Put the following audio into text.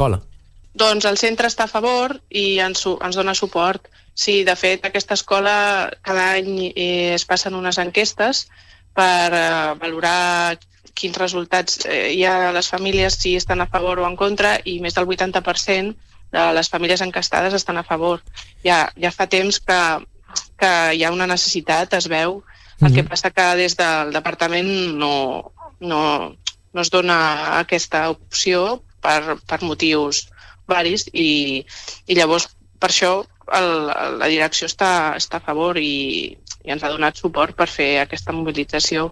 l'escola? Doncs el centre està a favor i ens dona suport. Sí, de fet, aquesta escola cada any es passen unes enquestes per valorar quins resultats hi ha a les famílies, si estan a favor o en contra, i més del 80% de les famílies enquestades estan a favor. Ja fa temps que hi ha una necessitat, es veu. El que passa que des del departament no es dona aquesta opció per motius varis i llavors per això la direcció està a favor i ens ha donat suport per fer aquesta mobilització.